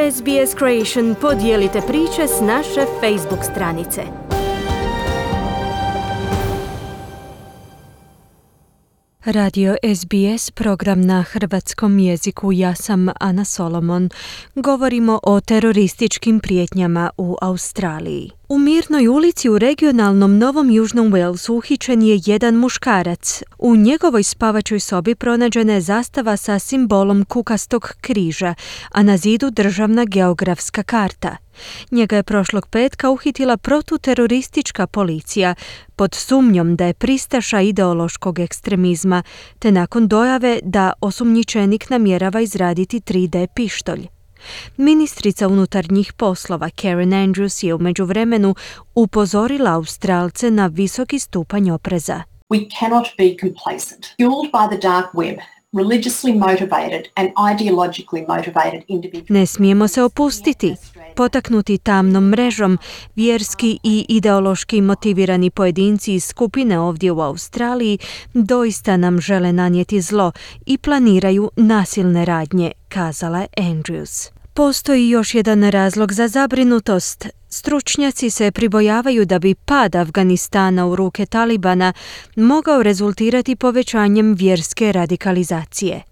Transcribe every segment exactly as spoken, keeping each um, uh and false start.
S B S Creation podijelite priče s naše Facebook stranice. Radio S B S, program na hrvatskom jeziku. Ja sam Ana Solomon. Govorimo o terorističkim prijetnjama u Australiji. U Mirnoj ulici u regionalnom Novom Južnom Walesu uhićen je jedan muškarac. U njegovoj spavačoj sobi pronađena je zastava sa simbolom kukastog križa, a na zidu državna geografska karta. Njega je prošlog petka uhitila protuteroristička policija pod sumnjom da je pristaša ideološkog ekstremizma, te nakon dojave da osumnjičenik namjerava izraditi tri D pištolj. Ministrica unutarnjih poslova Karen Andrews je u međuvremenu upozorila Australce na visoki stupanj opreza. We cannot be complacent. Fueled by the dark web, religiously motivated and ideologically motivated individuals. Ne smijemo se opustiti. Potaknuti tamnom mrežom, vjerski i ideološki motivirani pojedinci iz skupine ovdje u Australiji doista nam žele nanijeti zlo i planiraju nasilne radnje, kazala je Andrews. Postoji još jedan razlog za zabrinutost. Stručnjaci se pribojavaju da bi pad Afganistana u ruke Talibana mogao rezultirati povećanjem vjerske radikalizacije.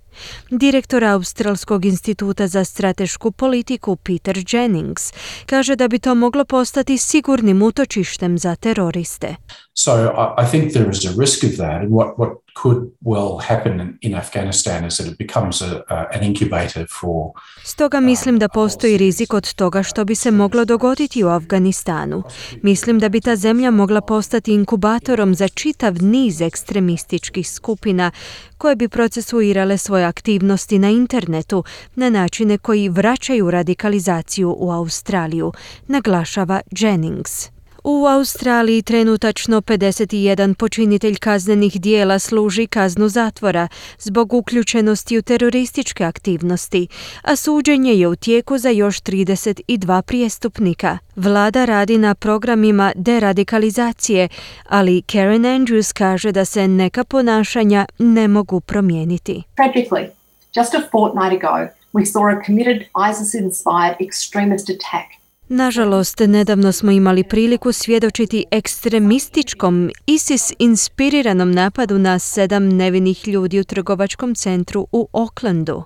Direktor Australskog instituta za stratešku politiku Peter Jennings kaže da bi to moglo postati sigurnim utočištem za teroriste. So I, I think there is a risk of that, and what, what could well happen in Afghanistan is that it becomes a, a, an incubator for... Stoga mislim da postoji rizik od toga što bi se moglo dogoditi u Afganistanu. Mislim da bi ta zemlja mogla postati inkubatorom za čitav niz ekstremističkih skupina koje bi procesuirale svoje aktivnosti na internetu na načine koji vraćaju radikalizaciju u Australiju, naglašava Jennings. U Australiji trenutačno pedeset jedan počinitelj kaznenih dijela služi kaznu zatvora zbog uključenosti u terorističke aktivnosti, a suđenje je u tijeku za još trideset dva prijestupnika. Vlada radi na programima deradikalizacije, ali Karen Andrews kaže da se neka ponašanja ne mogu promijeniti. Tragically, just a fortnight ago, we saw a committed ISIS-inspired extremist attack. Nažalost, nedavno smo imali priliku svjedočiti ekstremističkom ISIS-inspiriranom napadu na sedam nevinih ljudi u trgovačkom centru u Aucklandu.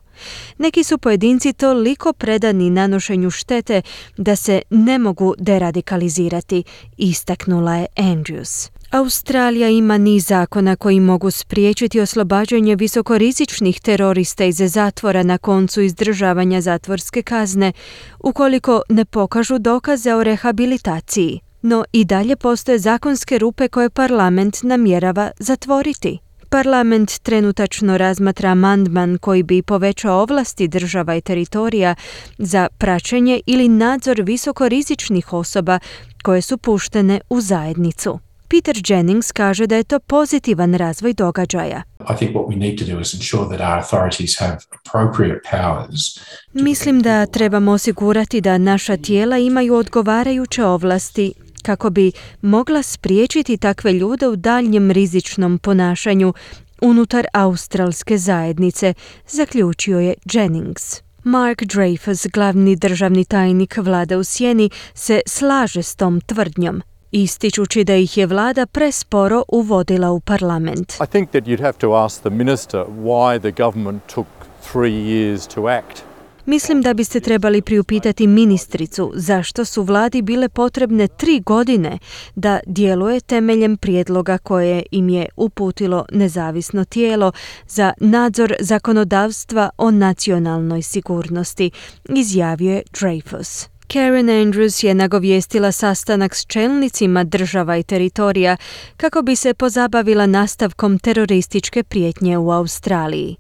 Neki su pojedinci toliko predani nanošenju štete da se ne mogu deradikalizirati, istaknula je Andrews. Australija ima niz zakona koji mogu spriječiti oslobađanje visokorizičnih terorista iz zatvora na koncu izdržavanja zatvorske kazne, ukoliko ne pokažu dokaze o rehabilitaciji. No i dalje postoje zakonske rupe koje parlament namjerava zatvoriti. Parlament trenutačno razmatra amandman koji bi povećao ovlasti država i teritorija za praćenje ili nadzor visokorizičnih osoba koje su puštene u zajednicu. Peter Jennings kaže da je to pozitivan razvoj događaja. I think what we need to do is ensure that our authorities have appropriate powers. Mislim da trebamo osigurati da naša tijela imaju odgovarajuće ovlasti kako bi mogla spriječiti takve ljude u daljnjem rizičnom ponašanju unutar australske zajednice, zaključio je Jennings. Mark Dreyfus, glavni državni tajnik vlade u sjeni, se slaže s tom tvrdnjom, ističući da ih je vlada presporo uvodila u parlament. I think that you'd have to ask the minister why the government took three years to act. Mislim da biste trebali priupitati ministricu zašto su vladi bile potrebne tri godine da djeluje temeljem prijedloga koje im je uputilo nezavisno tijelo za nadzor zakonodavstva o nacionalnoj sigurnosti, izjavio je Dreyfus. Karen Andrews je nagovijestila sastanak s čelnicima država i teritorija kako bi se pozabavila nastavkom terorističke prijetnje u Australiji.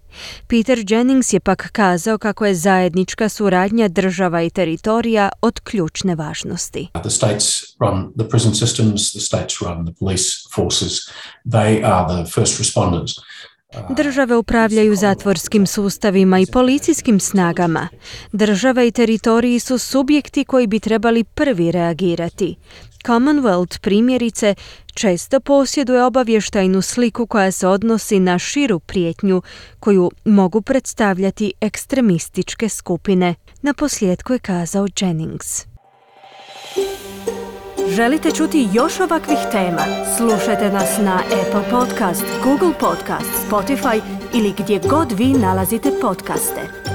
Peter Jennings je pak kazao kako je zajednička suradnja država i teritorija od ključne važnosti. The states run the prison systems, the states run the police forces. They are the first responders. Države upravljaju zatvorskim sustavima i policijskim snagama. Države i teritoriji su subjekti koji bi trebali prvi reagirati. Commonwealth, primjerice, često posjeduje obavještajnu sliku koja se odnosi na širu prijetnju koju mogu predstavljati ekstremističke skupine. Naposljetku je kazao Jennings. Želite čuti još ovakvih tema? Slušajte nas na Apple Podcast, Google Podcast, Spotify ili gdje god vi nalazite podcaste.